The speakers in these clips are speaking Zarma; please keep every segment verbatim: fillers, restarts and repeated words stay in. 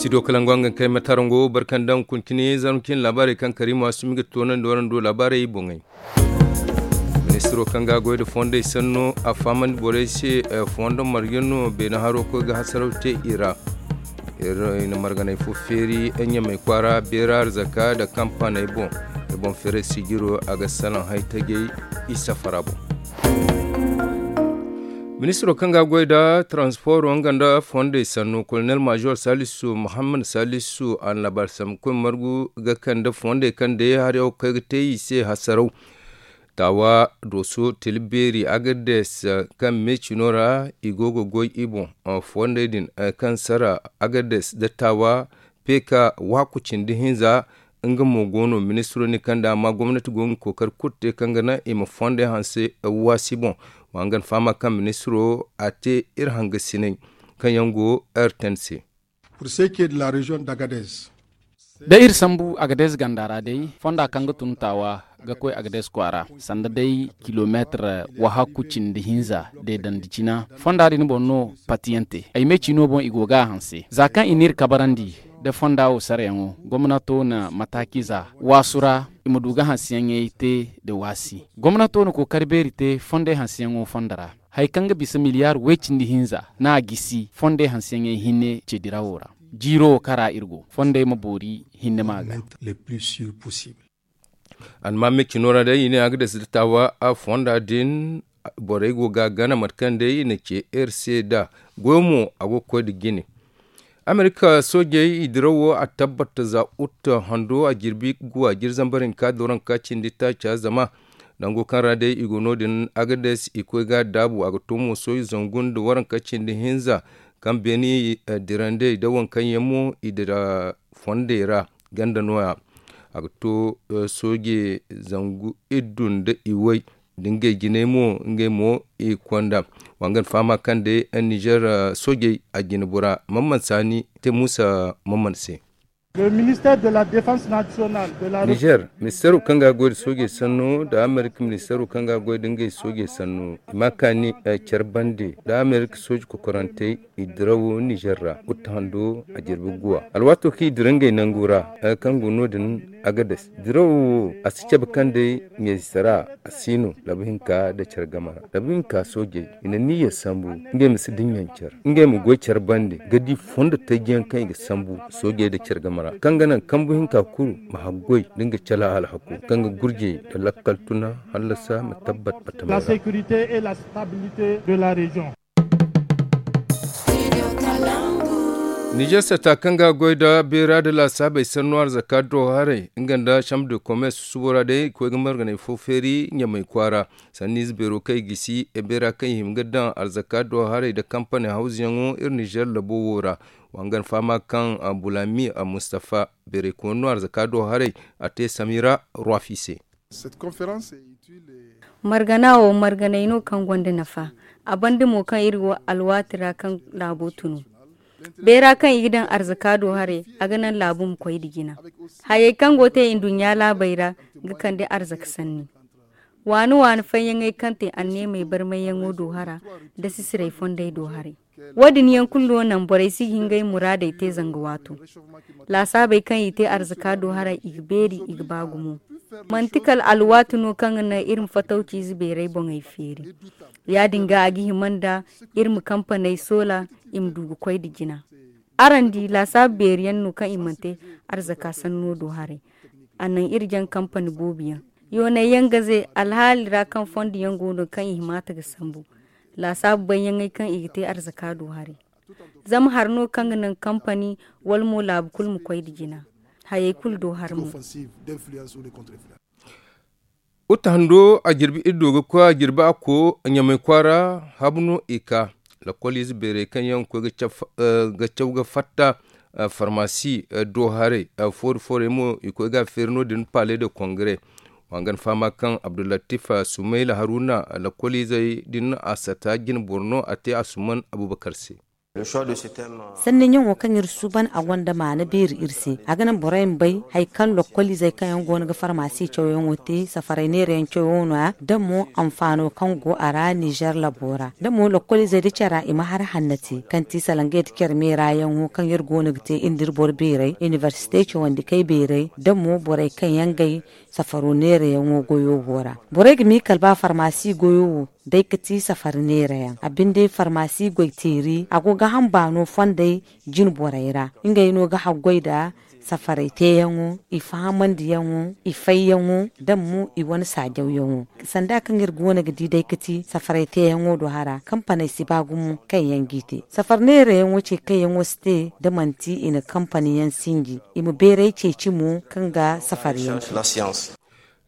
Ido kalangu hangan kay matarango barkandaŋ kuntini zarmacin laabaarey kaŋ kariima sumi ga toonandi warando laabaarey boŋey. Ministiro kaŋ ga a goy nda fondey sanno a fahamandi borey se, fondo marga no beene haro koy ga hasaraw te i ra. Iri na marganey fo feeri ɲamey kwaara beera arzaka nda kampaney boŋ. Iri boŋ feeray sijiro a ga salaŋ hay tajey i safara boŋ. Ministiro kaŋ ga a goy nda transporo nga nda fondey sanno kolonel major salisu muhammad salisu a na laabaari sambu koy margu ga kande fondey kaŋ day hari yaŋ wo kaŋ ay ga te i se hasaraw. Taawa dooso tila beeri agades kaŋ meecino ra i go ga goy i boŋ. Fondey din kaŋ sara agades nda taawa peeka waaku cindi hinza. Nga mo go no ministiro ni kaŋ da amma gomnati go ga kookari kulu te kaŋ ga naŋ i ma fondey hanse waasi boŋ. Wa nga na fahama kaŋ ministiro a te iri hangasiney kaŋ yaŋ go r ten se. Da iri sambu agadez ganda ra day fonda kaŋ ga tun taawa ga koy agadez kwaara sanda day kilomeetir wahakku cindi hinza deedandi cina fonda din boŋ no patiyante ay me ciino boŋ i go ga a hanse za kaŋ i n'iri kabarandi da fonda wo sarayaŋo gomnato na mataakiza waasu ra i ma du ga hanseyaŋey te nda waasi. Gomnato na kookari beeri te fondey hanseyaŋo fonda ra. Hari kaŋ ga bisa miliyaar way-cindi hinza no a gisi fondey hanseyaŋey hinne ce dirawo ra. Jiiro wo kaŋ ra iri go fondey ma boori hinne ma ga. Almaami cino ra day i ne a ga dasa da taawa fonda din. Borey go ga a gana mate kaŋ day i na ce r c da goyo mo a go ga koy nda jine. Amerika soojey i dirawo a tabbata za ut hando a jirbi guwa jiri zambar hinka doranka cindi taaca zama nango kaŋ ra day i go no- din agades i koy ga a daabu a ga to mo sooji zangu nda waranka cindi hinza kaŋ beeni dirandey da waŋ kaŋ yaŋ mo i dira fondey ra ganda no- ya. A ga to sooje zangu iddu nda iway da ngey jinay mo ngey mo i konda. Wa nga na fahama kaŋ day nizer soojey a jine bora mamman saani te muusa mamman se. Nizer ministeero kaŋ ga a goy nda soojey sanno nda amerika ministeero kaŋ ga a goy nda ngey soojey sanno i ma a kaani care bande nda amerika sooji kokorantey i dirawo nizer ra uta hando a jirbi guwa alwaato kaŋ i dira ngey nangu ra. Kaŋ go no- din agades dirawo wo a si cabe kaŋ day ɲayze sara a si no labu hinka nda care game ra labu hinka soojey i na niyya sambu ngey ma si dinya care ngey ma goy care bande ga di fondo tajjiyaŋ kaŋ i ga sambu soojey nda care game ra kaŋ ga naŋ kambu hinka kulu ma haggoy nda nga cala alhako kaŋ ga gurjey nda lakkal tuna hallasa ma tabbat batama ra. Nizer sata kaŋ ga a goy nda beera nda laasaabey sannu arzaka do haray nga nda chambre de commerce susubo ra day i koy ga marganay fo feeri ɲamay kwaara. Sanniize beero kaŋ i gisi beera kaŋ i hima ga daŋ arzaka do haray nda kampani hawzuyaŋo iri nizer labo wo ra. Wa nga na fahama kaŋ bulami mustafa beeray kooni no arzaka do haray a te samira ruwafi se. Margana wo marganay no kaŋ gonda nafa. A banda mo kaŋ iri go alwaati ra kaŋ laabo tunu beera kaŋ i ga daŋ arzaka do haray a ga naŋ laabu ma koy nda jina. Hayey kaŋ go te nduɲɲa laabey ra ga kande arzaka sanni. Waani waani fayyaŋey kaŋ te anneemey barmayyaŋo do hara nda sisirey fondey do haray. Wo- din yaŋ kulu no naŋ borey si ga hin ngey muraadey te zanga waato. Laasaabey kaŋ i te arzaka do haray i ga beeri i ga ba gumo. Manti kala alwaati no kaŋ ga naŋ iri ma fatawciize beeray boŋey feeri. Ya- din ga a ga hima nda iri ma kampaney soola i ma du ga koy nda jina. Araŋ di laasaabu beeri yaŋ no kaŋ i mana te arzaka sanno do haray. A naŋ iri jaŋ kampani boobo yaŋ yoonay yaŋ ga ze alhaali ra kaŋ fondo yaŋ go no kaŋ i hima ta ga sambu. Laasaabu bayyaŋey kaŋ i ga te arzaka do haray. Zama hari no kaŋ ga naŋ kampani wala mo laabu kulu ma koy nda jina. Hayey kulu do hari mo. Uta hando a jirbi iddo ga koy a jirbi a ko ɲamay kwaara habu no i ka. Lakkoliize beerey kaŋ yaŋ ga koy ga caw ga fatta farmasi do haray. Foori foorey mo i koy ga a feeri no- din paale de kongare. Wa nga na fahama kaŋ abdullatif sumayla haruna lakkoliizey din a sata jine boro no a te asuman abubakar se. Sanni ɲaŋo kaŋ iri suuban a gonda maana beeri iri se. A ga naŋ borey ma bay hari kaŋ lokkoliizey kaŋ yaŋ go no ga farmaasi cawyaŋo te safaray neerayaŋ cawyaŋo no- ya da mo anfaano kaŋ go a ra nizer labo ra da mo lokkoliizey da care ra i ma hari hanna te kaŋ ti salaŋ ga yadda care meera yaŋo kaŋ iri go no ga te iri nda iri boro beeray inibersite cawandikey beeray da mo borey kaŋ yaŋ gay safaro neerayaŋo goyo wo ra. Borey ga miikal ba farmaasi goyo wo day ga ti safari neerayaŋ a binde farmaasi goyteeri a go ga hamba no fondey jine borey ra ngey no ga haggoy nda safaray teeyaŋo, i fahamandiyaŋo, i fayyaŋo, da mo i wane saajawyaŋo. Sanda kaŋ iri go no ga di day ga ti safaray teeyaŋo do hara kampaney si ba gumo kaŋ yaŋ g'i te safari neerayaŋo ce kaŋ yaŋo si te da manti i na kampani yaŋ sinji i ma beeray ceeci mo kaŋ ga safari yaŋ te.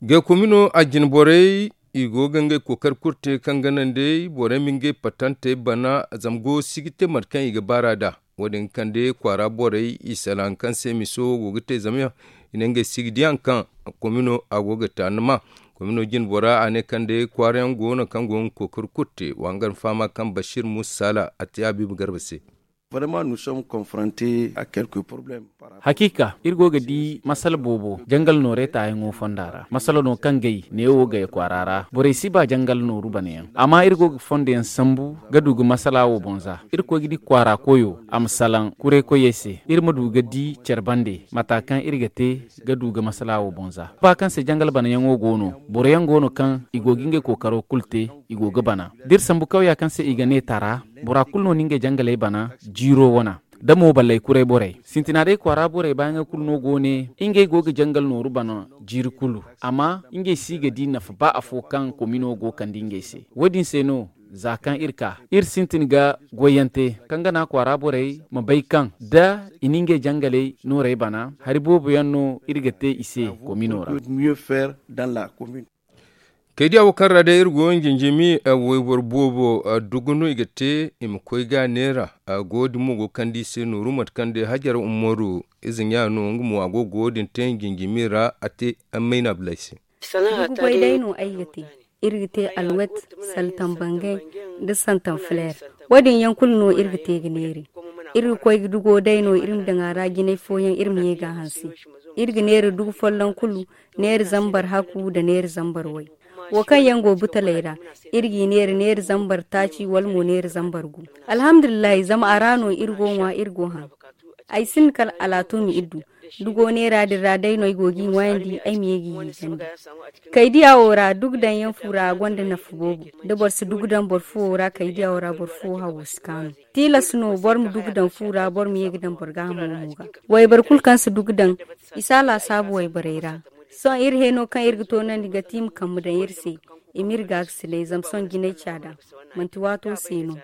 Gay komino a jine borey i go ga ngey kookari kulu te kaŋ ga naŋ day borey ma ngey patantey bana zama go si ga te mate kaŋ i ga baar'a nd'a. Wo- din ga kande kwaara borey i salaŋ kaŋ se miso go ga te zama i ne ngey si ga di hari kaŋ komino a go ga taanama. Komino jine bora a ne kaŋ day kwaara yaŋ go no kaŋ go ga kookari kulu te wa nga ni fahama kaŋ basiir muusa saala a te habiiba garba se. Hakiika iri go ga di masala boobo jangal noorey taayaŋo fonda ra masala no kaŋ gay neewo gay kwaara ra borey si ba jangal nooru bana yaŋ amma iri go ga fondo yaŋ sambu ga du ga masala wo boŋ za iri koy ga di kwaara koyo a ma salaŋ kuray koyey se iri ma du ga di care bande mata kaŋ iri ga te ga du ga masala wo boŋ za ba kaŋ se jangal bana yaŋo go no boro yaŋ go no kaŋ i go ga ngey kookaro kulu te i go ga bana da iri sambu kawya kaŋ se i ga ne tara bora kulu no na ngey jangaley bana jiiro wana da mo balley kuray borey sintina day kwaara borey baayaŋey kulu no go ne ngey go ga jangal nooru bana jiiri kulu amma ngey si ga di nafa ba afo kaŋ komino go kande ngey se wo- din se no za kaŋ iri ka iri sintin ga goyyaŋ te kaŋ ga naŋ kwaara borey ma bay kaŋ da i na ngey jangaley noorey bana hari boobo yaŋ no iri ga te i se komino ra. Kaydiya wo kaŋ ra day iri go jinjimi wayboro boobo dugu no i ga te i ma koy ga neera. Go din mo go ga kande i se nooru mate kaŋ day hajar umaru ize ɲa no nga mo a go ga wo- din te jinjimi ra a te mayna bilay se. Dugu goy day no ay ga te. Iri ga te alwet, saltan bangay, da santan fler. Wo- din yaŋ kulu no iri ga te ga neeri. Iri ga koy ga dugo day no iri ma daŋ a ra jinay fooyaŋ iri ma ye ga a hanse. Iri ga neera dugu folloŋ kulu, neera zambar haku nda neera zambar way. Wo kaŋ yaŋ go butaley ra, iri g'i neera neera zambar taaci wala mo neera zambar gu. Alhamdulillahi zama a ra no iri go ŋwa iri go haŋ. Ay sinda kala alaatumi iri du. Dugo neera din ra day no ay go g'i ŋwaayandi ay ma ye g'i hiijandi. Kaydiya wo ra dugu daŋ yaŋ fu ra a gonda nafa boobo. Da boro si dugu daŋ boro fuwo ra kaydiya wo ra boro fuwo hawo si kaanu. Tilas no boro ma dugu daŋ fu ra boro ma ye ga daŋ boro gaahamo mo ga. Wayboro kulu kaŋ si dugu daŋ i si a laasaabu wayborey ra. Sohõ iri heno kaŋ iri ga toonandi ga ti i ma kambe daŋ iri se. I m'iri gaakasinay zama sohõ jinay caada manti waato se no.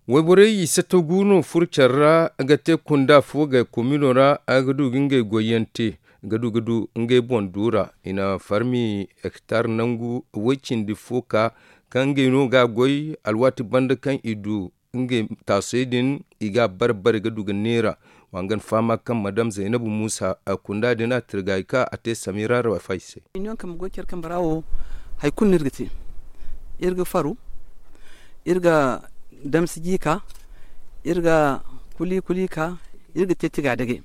Wayborey i sato gu no furo care ra ga te kunda fo ga komino ra. Ga du ga ngey goyyaŋ te ga du ga du ngey boŋ du ra. I na farmi hektar nangu way cindi fo ka kaŋ ngey no ga goy alwaati banda kaŋ i du ngey taasey din i ga a bare bare ga du ga neera. Wa nga ni fahama kaŋ madam zaynabu muusa kunda din a tirga i ka a te samira rafa i se. Ni yaŋ kambe goy care kambe ra wo hari kulu no iri ga te. Iri ga faru, iri ga damsi jiika, iri ga kuli kuli ka, iri ga te tiga dage.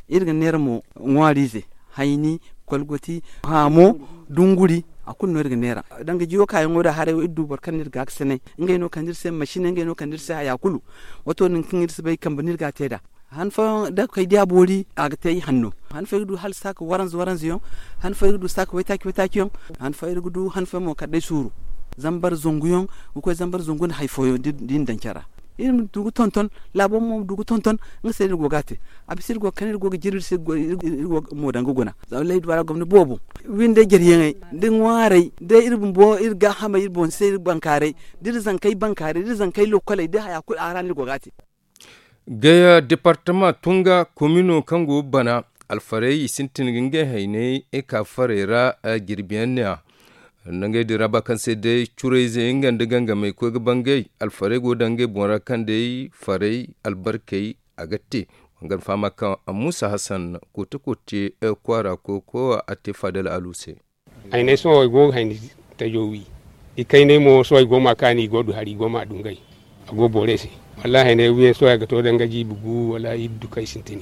Iri ga neera mo ŋwaariize, hayni, kolgoti, haamo, dunguri, a kulu no iri ga neera. Danga jiyo kaayaŋo da haray wo iri du boro kaŋ no iri ga ga sanay. Ngey no kande iri se masine ngey no kande iri se haya kulu. Wato nin kaŋ iri si bay kambe no iri ga a te nd'a. Han fooyaŋ da kay diya boori a ga te i hanno. Han fooyaŋ ga du hala saaka waranza waranza yaŋ. Han fooyaŋ ga du saaka waytaaci waytaaci yaŋ. Han fooyaŋ iri ga du han fooyaŋ mo kala day suuru. Zambar zangu yaŋ ga koy zambar zangu nda hari fooyaŋ da i na daŋ care ra. Iri ma du ga tonton, laabo mo ma du ga tonton. Nga se no iri go ga a te. A bisa iri go ga kande iri go ga jirbi iri se iri go ga mo daŋ ga guna. Zama lay duwara gomni boobo. Windey jaryaŋey, da ŋwaarey, da iri bumbo iri gaahamey iri boŋ se iri bankaaray, da iri zankey bankaaray da iri zankey lokkoley da haya kulu a ra no iri go ga a te. Gaya departama tunga komino kaŋ go bana, alfarey i sintin ga ngey hayney ka farey ra. Jirbiyaŋ ne a nangey din ra ba kaŋ se day curayzey nga nda gangamey koy ga bangay. Alfarey go daŋ ngey boŋ ra kaŋ day farey albarkey a ga te. Wangana fahama kaŋ muusa hasan kote kote kwaara koy koy a te fadal alu se. Ay ne sohõ ay go ga hayni tajo wi. I kaynay mo sohõ ay go ma kaani i go du hari i go ma dungay. A go boorey se. Wallaahi ne wiyaŋ sohõ ay ga to danga jiibi gu wala iddu kaŋ ay sintin.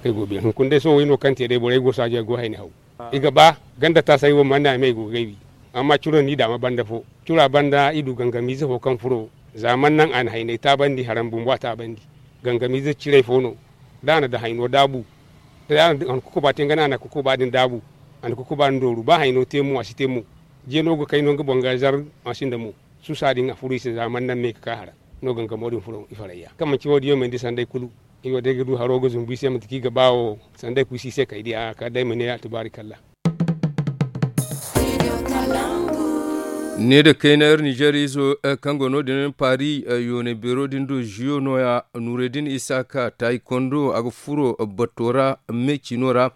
Kaŋ ay go beeri hunkuna day sohõ way no kaŋ te day borey go saajo ay go hayni haw. I ga ba ganda taasay wo mana me ay go ga gaybi. Amma curo ni daama banda fo cura banda i du gangamiize fo kaŋ furo. Za mana naŋ a na haynay taabandi haram bumbo a taabandi. Gangamiize ciray fo no. Da a na da hayno daabu da a na kukuba te nga no a na kukuba din daabu. A na kukuba din dooru ba hayno te mo a si te mo. Jeeno ga kay no nga boŋ ga zar. A sinda mo suusa din a furu i se za mana naŋ me ga ka hara. No gangamo din furo i farayya kaŋ manci wo- din yaŋ mandi sanday kulu. I wo day ga du haro ga zumbu i se manti kaŋ i ga ba wo. Sanday kulu si i se kay di a kala day ma ne a tubaari kalla. Ne da kayna ir nizeer izo kaŋ go no- din paari yoonay beero din do ziyo nooya nuuray din isa ka taayi kondo a ga furo batto ra. Me ciino ra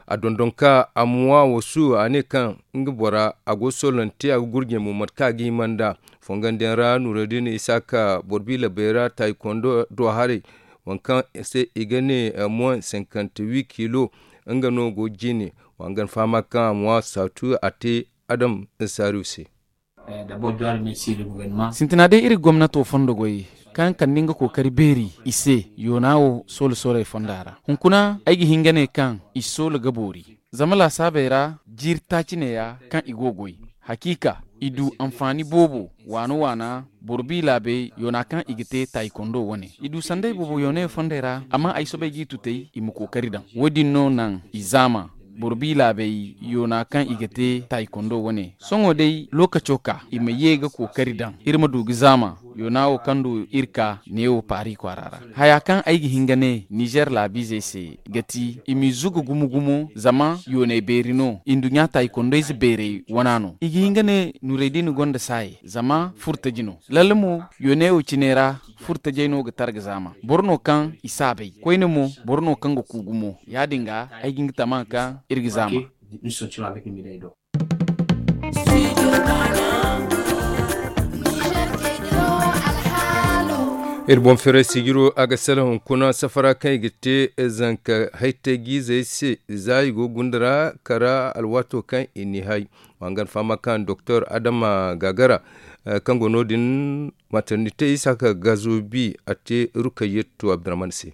a dondon ka a ma ŋwa wasu a ne kaŋ nga bora a go solonte a ga gurjey mo mate kaŋ a ga hima nd'a. Fongandiyaŋ ra nuuray din isa ka boro bi labey ra taayi kondo do haray. Waŋ kaŋ se i ga ne moyen cinquante huit kilo nga no go jine. Wa nga na fahama kaŋ a ma ŋwa saatu a te adam saariyo se. Sintina day iri gomnato fondo goy kaŋ kande nga kookari beeri i se yoona wo soolo sooley fonda ra hunkuna ay ga hin ga ne kaŋ i soolo ga boori. Zama laasaabey ra jiiri taaci neeya kaŋ i go goy hakiika i du anfaani boobo waana waana boro bi laabey yoona kaŋ i ga te taayikondo wane i du sanday boobo yooney fondey ra amma ay soobay g'i tutay i ma kookari daŋ wo- din no naŋ i zaama boro bi laabey yoona kaŋ i ga te taayikondo wane sohõ day lookaco ka i ma ye ga kookari daŋ iri ma du ga zaama yoona wo kaŋ du iri ka neewo paari kwaara ra. Haya kaŋ ay ga hin ga ne nizeer laabiizey se ga ti i m'i zuga gumo gumo zama yooney beeri no i nduɲɲa taayikondayze beerey wana no i ga hin ga ne nuuray din gonda saayey zama furtaji no. Lalle mo yooney wo cine ra furtajey no ga targa zaama boro no kaŋ i saabay koyne mo boro no kaŋ ga ku gumo ya- din ga ay ga hin ga tama kaŋ iri ga zaama. Iri boŋ feeray sijiro a ga salaŋ hunkuna safara kaŋ i ga te zanka haytay-jiizey se za i go gunda ra kara alwaato kaŋ i n'i hay. Wa nga na fahama kaŋ doktor adama gagara kaŋ go no- din maternite isa ka gazo bi a te rukayyatu abdurrahman se.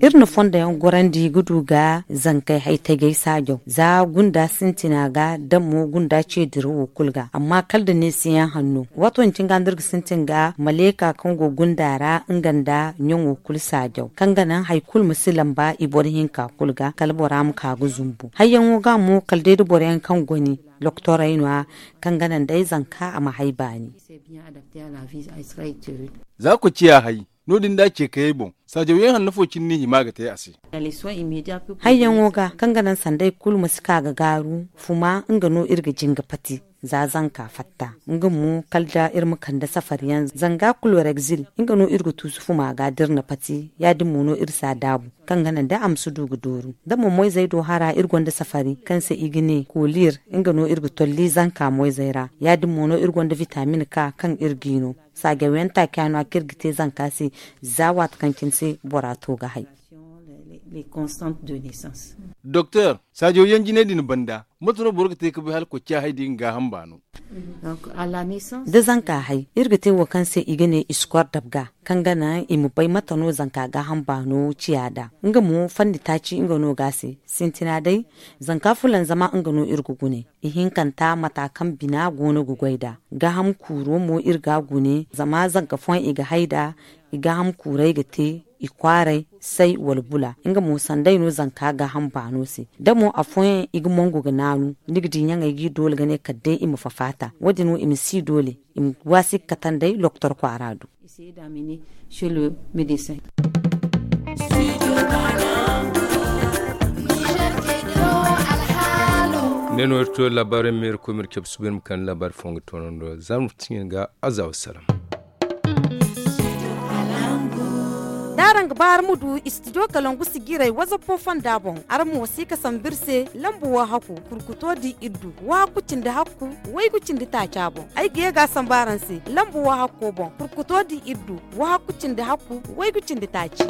Iri na fondo yaŋ gorandi ga du ga zankey hay tajay saajaw za gunda sintina ga da mo gunda ce dirawo kulu ga amma kala da neesiyaŋ hanno waato din cine ga no iri ga sintin ga maleeka kaŋ go gunda ra nga nda ɲaŋo kulu saajaw kaŋ ga naŋ hari kulu ma si lamba i boro hinka kulu ga kala bora ma ka ga zumbu hayyaŋo ga mo kala day da boro yaŋ kaŋ goni doktorey no- ya kaŋ ga naŋ day zanka a ma hay baani. Za koy ciya hay no- din da a ce kayey boŋ saajaw yaŋ hanno fo cine no i hima ga te a se. Hayyaŋo ga kaŋ ga naŋ sanday kulu ma si ka ga gaaru fuma nga no iri ga jinga pati za zanka fatta nga mo kala da iri ma kande safari yaŋ zanga kulu regzil nga no iri ga tuusu fuma ga da iri na pati ya- din mo no iri si a daabu kaŋ ga naŋ day a ma si du ga dooru da mo moyzey do hara iri gonda safari kaŋ se i ga ne kolir nga no iri ga tolli zanka moyzey ra ya- din mo no iri gonda vitamin ka kaŋ iri g'i no saajaw yaŋ taaci a no- ya kaŋ iri ga te zanka se za waati kaŋ cine se bora to ga hay. Doktor saajaw yaŋ jinay din banda mate no boro ga te ga bay hala koy ciya hay da i ga gaaham baano? Da zanka hay iri ga te wo kaŋ se i ga ne iskor dabga kaŋ ga naŋ i ma bay mate no zanka gaaham baano ciya nd'a nga mo fanni taaci nga no ga a se sintina day zanka fulanzama nga no iri ga gune ihinkanta mata kaŋ bina go no ga goy nd'a gaaham kuuro mo iri ga a gune zama zanka fooyaŋ i ga hay nd'a i gaaham kuurey ga te i kwaaray say wala bula nga mo sanday no zanka gaaham baano se da mo afooyaŋ i ga mongu ga naanu ni ga di ɲaŋey g'i doole ga ne kala day i ma fafaata wo- din wo i ma si doole i ma waasi ga katandey loktor kwaara do. Ne no iri to laabaarey ma iri koy ma iri cabe suba iri ma kande laabaari fooyaŋ ga toonandi za ma fiti ɲin ga aza wasalaam. D'araŋ ga ba araŋ ma du studio kalangu sijiray whatsapp fonda boŋ araŋ ma wasi ga sambu iri se lamba wo hakku kurkuto di iri du wo hakku cindi hakku waygu cindi taaca boŋ ay ga ye ga a sambu araŋ se lamba wo hakko boŋ kurkuto di iri du wo hakku cindi hakku waygu cindi taaci.